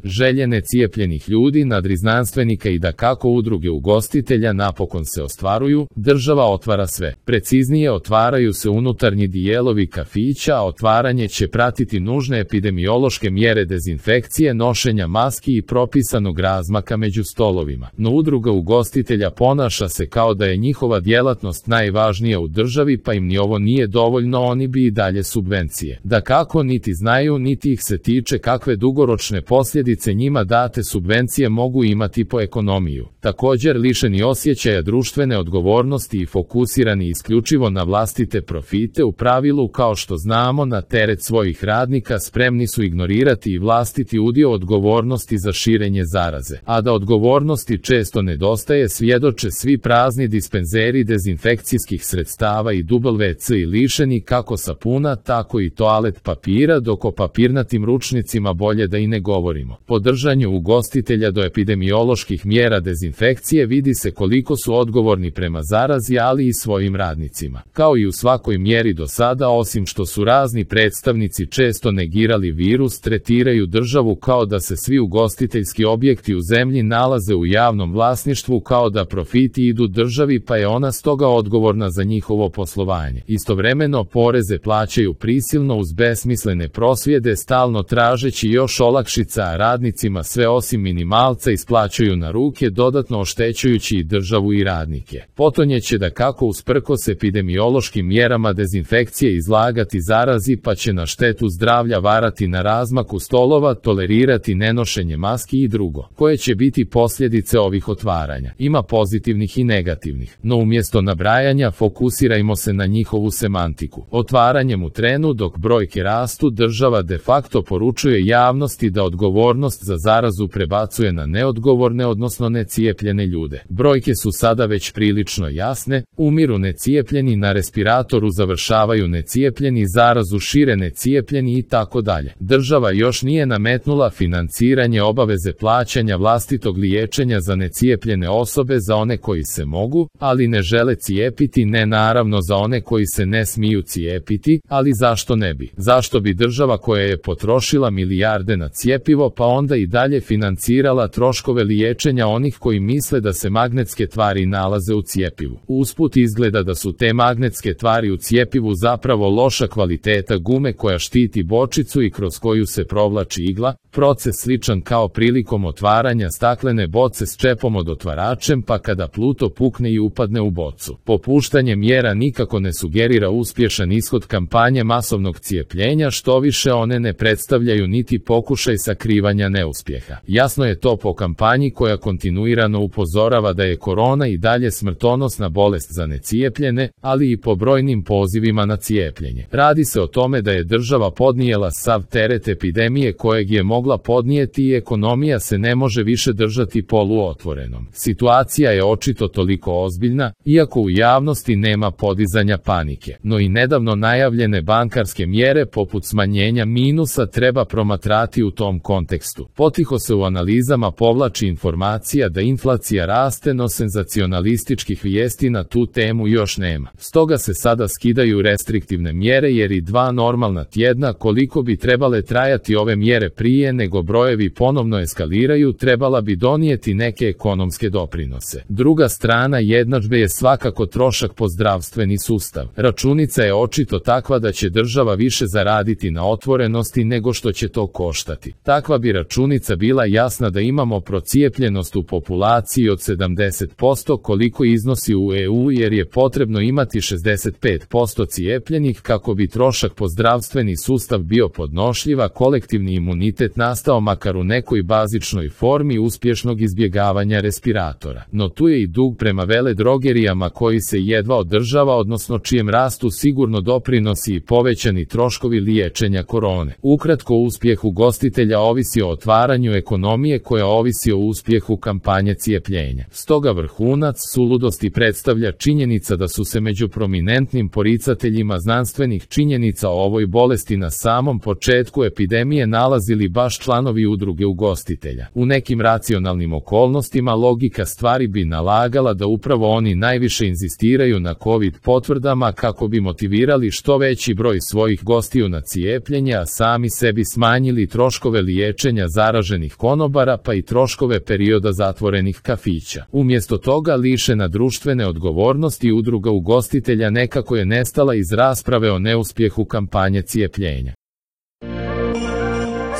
Želje necijepljenih ljudi, nadriznanstvenika i dakako udruge ugostitelja napokon se ostvaruju, država otvara sve. Preciznije, otvaraju se unutarnji dijelovi kafića, a otvaranje će pratiti nužne epidemiološke mjere dezinfekcije, nošenja maski i propisanog razmaka među stolovima. No udruga ugostitelja ponaša se kao da je njihova djelatnost najvažnija u državi, pa im ni ovo nije dovoljno, oni bi i dalje subvencije. Dakako, niti znaju niti ih se tiče kakve dugoročne posljedice njima date subvencije mogu imati po ekonomiju. Također, lišeni osjećaja društvene odgovornosti i fokusirani isključivo na vlastite profite, u pravilu, kao što znamo, na teret svojih radnika spremni su ignorirati i vlastiti udio odgovornosti za širenje zaraze. A da odgovornosti često nedostaje svjedoče svi prazni dispenzeri dezinfekcijskih sredstava i WC i lišeni kako sapuna, tako i toalet papira, dok o papirnatim ručnicima bolje da i ne govorimo. Po držanju ugostitelja do epidemioloških mjera dezinfekcije vidi se koliko su odgovorni prema zarazi, ali i svojim radnicima. Kao i u svakoj mjeri do sada, osim što su razni predstavnici često negirali virus, tretiraju državu kao da se svi ugostiteljski objekti u zemlji nalaze u javnom vlasništvu, kao da profiti idu državi, pa je ona stoga odgovorna za njihovo poslovanje. Istovremeno poreze plaćaju prisilno uz besmislene prosvjede, stalno tražeći još olakšica, a radnicima sve osim minimalca isplaćuju na ruke, dodatno oštećujući i državu i radnike. Potonje će dakako usprkos epidemiološkim mjerama dezinfekcije izlagati zarazi, pa će na štetu zdravlja varati na razmaku stolova, tolerirati nenošenje maski i drugo. Koje će biti posljedice ovih otvaranja? Ima pozitivnih i negativnih, no umjesto nabrajanja fokusirajmo se na njihovu semantiku. Otvaranjem u trenu dok brojke rastu, država de facto poručuje javnosti da odgovornost za zarazu prebacuje na neodgovorne, odnosno necijepljene ljude. Brojke su sada već prilično jasne, umiru necijepljeni, na respiratoru završavaju necijepljeni, zarazu šire necijepljeni i tako dalje. Država još nije nametnula financiranje obaveze plaćanja vlastitog liječenja za necijepljene osobe, za one koji se mogu, ali ne žele cijepiti, ne naravno za one koji se ne smiju cijepiti, ali zašto ne bi? Zašto bi država koja je potrošila milijarde na cjepivo pa onda i dalje financirala troškove liječenja onih koji misle da se magnetske tvari nalaze u cjepivu? Usput izgleda da su te magnetske tvari u cjepivu zapravo loša kvaliteta gume koja štiti bočicu i kroz koju se provlači igla, proces sličan kao prilikom otvaranja staklene boce s čepom od otvaračem, pa kada pluto pukne i upadne u bocu. Popuštanje mjera nikako ne sugerira uspješan ishod kampanje masovnog cijepljenja, što više one ne predstavljaju niti pokušaj sakrivanja neuspjeha. Jasno je to po kampanji koja kontinuirano upozorava da je korona i dalje smrtonosna bolest za necijepljene, ali i po brojnim pozivima na cijepljenje. Radi se o tome da je država podnijela sav teret epidemije kojeg je mogla podnijeti i ekonomija se ne može više držati poluotvorenom. Situacija je očito toliko ozbiljna, iako u javnosti nema podizanja panike. No i nedavno najavljene bankarske mjere poput smanjenja minusa treba promatrati u tom kontekstu. Potiho se u analizama povlači informacija da inflacija raste, no senzacionalističkih vijesti na tu temu još nema. Stoga se sada skidaju restriktivne mjere jer i 2 normalna tjedna koliko bi trebale trajati ove mjere prije nego brojevi ponovno eskaliraju trebala bi donijeti neke ekonomske doprinose. Druga strana jednadžbe je svakako trošak po zdravstveni sustav. Računica je očito takva da će država više zaraditi na otvorenosti nego što će to koštati. Takva bi računica bila jasna da imamo procijepljenost u populaciji od 70% koliko iznosi u EU, jer je potrebno imati 65% cijepljenih kako bi trošak po zdravstveni sustav bio podnošljiv, a kolektivni imunitet nastao makar u nekoj bazičnoj formi uspješnog izbjegavanja respiratora. No tu je i dug prema veledrogerijama koji se jedva održava, odnosno čijem rastu sigurno doprinosi i povećani troškovi liječenja korone. Ukratko, uspjeh ugostitelja ovisi o otvaranju ekonomije koja ovisi o uspjehu kampanje cijepljenja. Stoga vrhunac suludosti predstavlja činjenica da su se među prominentnim poricateljima znanstvenih činjenica o ovoj bolesti na samom početku epidemije nalazili baš članovi udruge ugostitelja. U nekim racionalnim okolnostima logika stvari bi nalagala da upravo oni najviše inzistiraju na COVID potvrdama kako bi motivirali što veći broj svojih gostiju na cijepljenje, a sami sebi smanjili troškove liječenja cijepljenja zaraženih konobara pa i troškove perioda zatvorenih kafića. Umjesto toga lišena društvene odgovornosti udruga ugostitelja nekako je nestala iz rasprave o neuspjehu kampanje cijepljenja.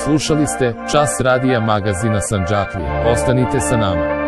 Slušali ste Čas radija magazina Sandžaklija. Ostanite sa nama.